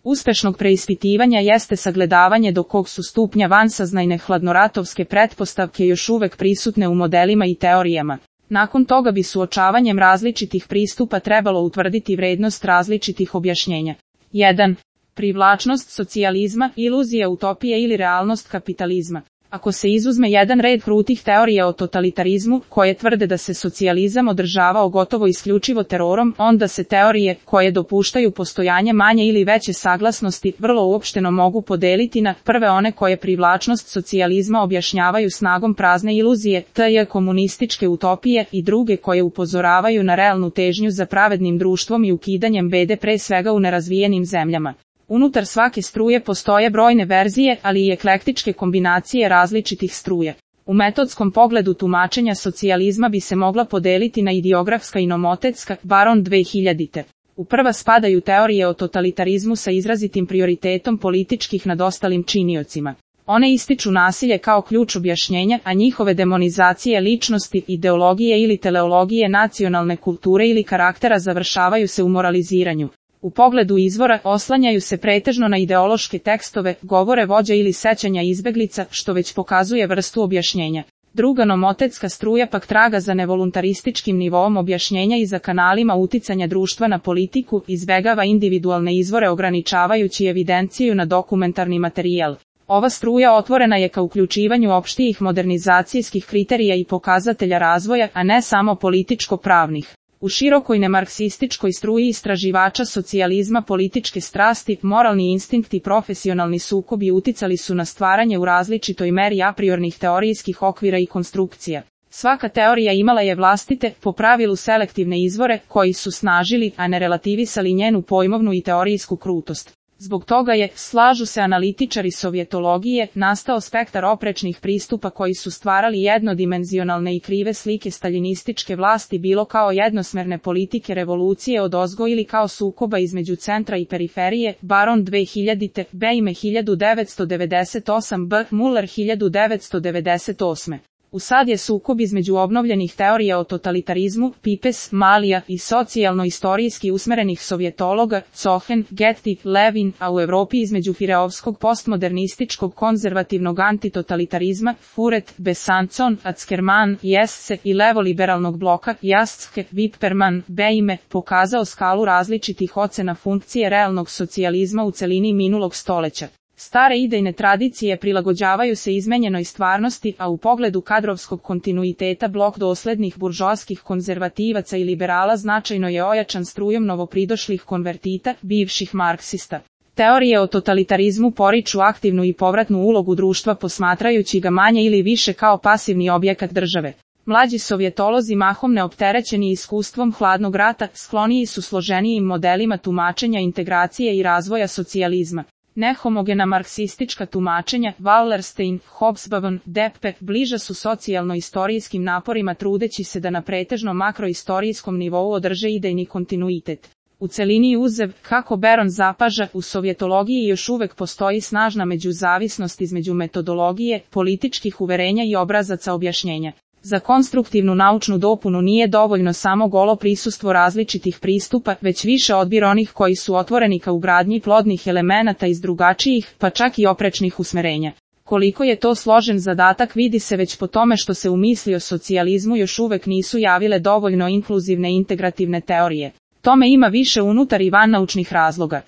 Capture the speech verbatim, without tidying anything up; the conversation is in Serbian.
uspešnog preispitivanja jeste sagledavanje do kog su stupnja vansaznajne hladnoratovske pretpostavke još uvek prisutne u modelima i teorijama. Nakon toga bi suočavanjem različitih pristupa trebalo utvrditi vrednost različitih objašnjenja. jedan. Privlačnost socijalizma, iluzija utopije ili realnost kapitalizma. Ako se izuzme jedan red krutih teorija o totalitarizmu, koje tvrde da se socijalizam održavao gotovo isključivo terorom, onda se teorije, koje dopuštaju postojanje manje ili veće saglasnosti, vrlo uopšteno mogu podeliti na prve one koje privlačnost socijalizma objašnjavaju snagom prazne iluzije, tj. komunističke utopije, i druge koje upozoravaju na realnu težnju za pravednim društvom i ukidanjem bede pre svega u nerazvijenim zemljama. Unutar svake struje postoje brojne verzije, ali i eklektičke kombinacije različitih struje. U metodskom pogledu tumačenja socijalizma bi se mogla podeliti na ideografska i nomotetska, Baron dve hiljadite. U prva spadaju teorije o totalitarizmu sa izrazitim prioritetom političkih nad ostalim činiocima. One ističu nasilje kao ključ objašnjenja, a njihove demonizacije ličnosti, ideologije ili teleologije nacionalne kulture ili karaktera završavaju se u moraliziranju. U pogledu izvora oslanjaju se pretežno na ideološke tekstove, govore vođa ili sećanja izbeglica, što već pokazuje vrstu objašnjenja. Druga nomotetska struja pak traga za nevoluntarističkim nivoom objašnjenja i za kanalima uticanja društva na politiku, izbegava individualne izvore ograničavajući evidenciju na dokumentarni materijal. Ova struja otvorena je ka uključivanju opštijih modernizacijskih kriterija i pokazatelja razvoja, a ne samo političko-pravnih. U širokoj nemarksističkoj struji istraživača socijalizma političke strasti, moralni instinkt i profesionalni sukobi uticali su na stvaranje u različitoj meri apriornih teorijskih okvira i konstrukcija. Svaka teorija imala je vlastite, po pravilu selektivne izvore, koji su snažili, a ne relativisali njenu pojmovnu i teorijsku krutost. Zbog toga je, slažu se analitičari sovjetologije, nastao spektar oprečnih pristupa koji su stvarali jednodimenzionalne i krive slike staljinističke vlasti bilo kao jednosmerne politike revolucije odozgo ili kao sukoba između centra i periferije, Baron dve hiljadite, Beime hiljadu devetsto devedeset osam B. Muller hiljadu devetsto devedeset osme. Usad je sukob između obnovljenih teorija o totalitarizmu, Pipes, Malija, i socijalno-istorijski usmerenih sovjetologa, Cohen, Getty, Levin, a u Evropi između fireovskog postmodernističkog konzervativnog antitotalitarizma, Furet, Besançon, Ackermann, Jesse, i levoliberalnog bloka, Jaske, Wippermann, Beime, pokazao skalu različitih ocena funkcije realnog socijalizma u celini minulog stoleća. Stare idejne tradicije prilagođavaju se izmenjenoj stvarnosti, a u pogledu kadrovskog kontinuiteta blok doslednih buržoaskih konzervativaca i liberala značajno je ojačan strujom novopridošlih konvertita, bivših marksista. Teorije o totalitarizmu poriču aktivnu i povratnu ulogu društva posmatrajući ga manje ili više kao pasivni objekat države. Mlađi sovjetolozi mahom neopterećeni iskustvom hladnog rata, skloniji su složenijim modelima tumačenja integracije i razvoja socijalizma. Nehomogena marksistička tumačenja, Wallerstein, Hobsbawm, Deppe, bliža su socijalno-istorijskim naporima trudeći se da na pretežno makroistorijskom nivou održe idejni kontinuitet. U celini uzev, kako Beron zapaža, u sovjetologiji još uvek postoji snažna međuzavisnost između metodologije, političkih uverenja i obrazaca objašnjenja. Za konstruktivnu naučnu dopunu nije dovoljno samo golo prisustvo različitih pristupa, već više odbir onih koji su otvoreni ka ugradnji plodnih elemenata iz drugačijih, pa čak i oprečnih usmerenja. Koliko je to složen zadatak vidi se već po tome što se u misli o socijalizmu još uvek nisu javile dovoljno inkluzivne integrativne teorije. Tome ima više unutar i van naučnih razloga.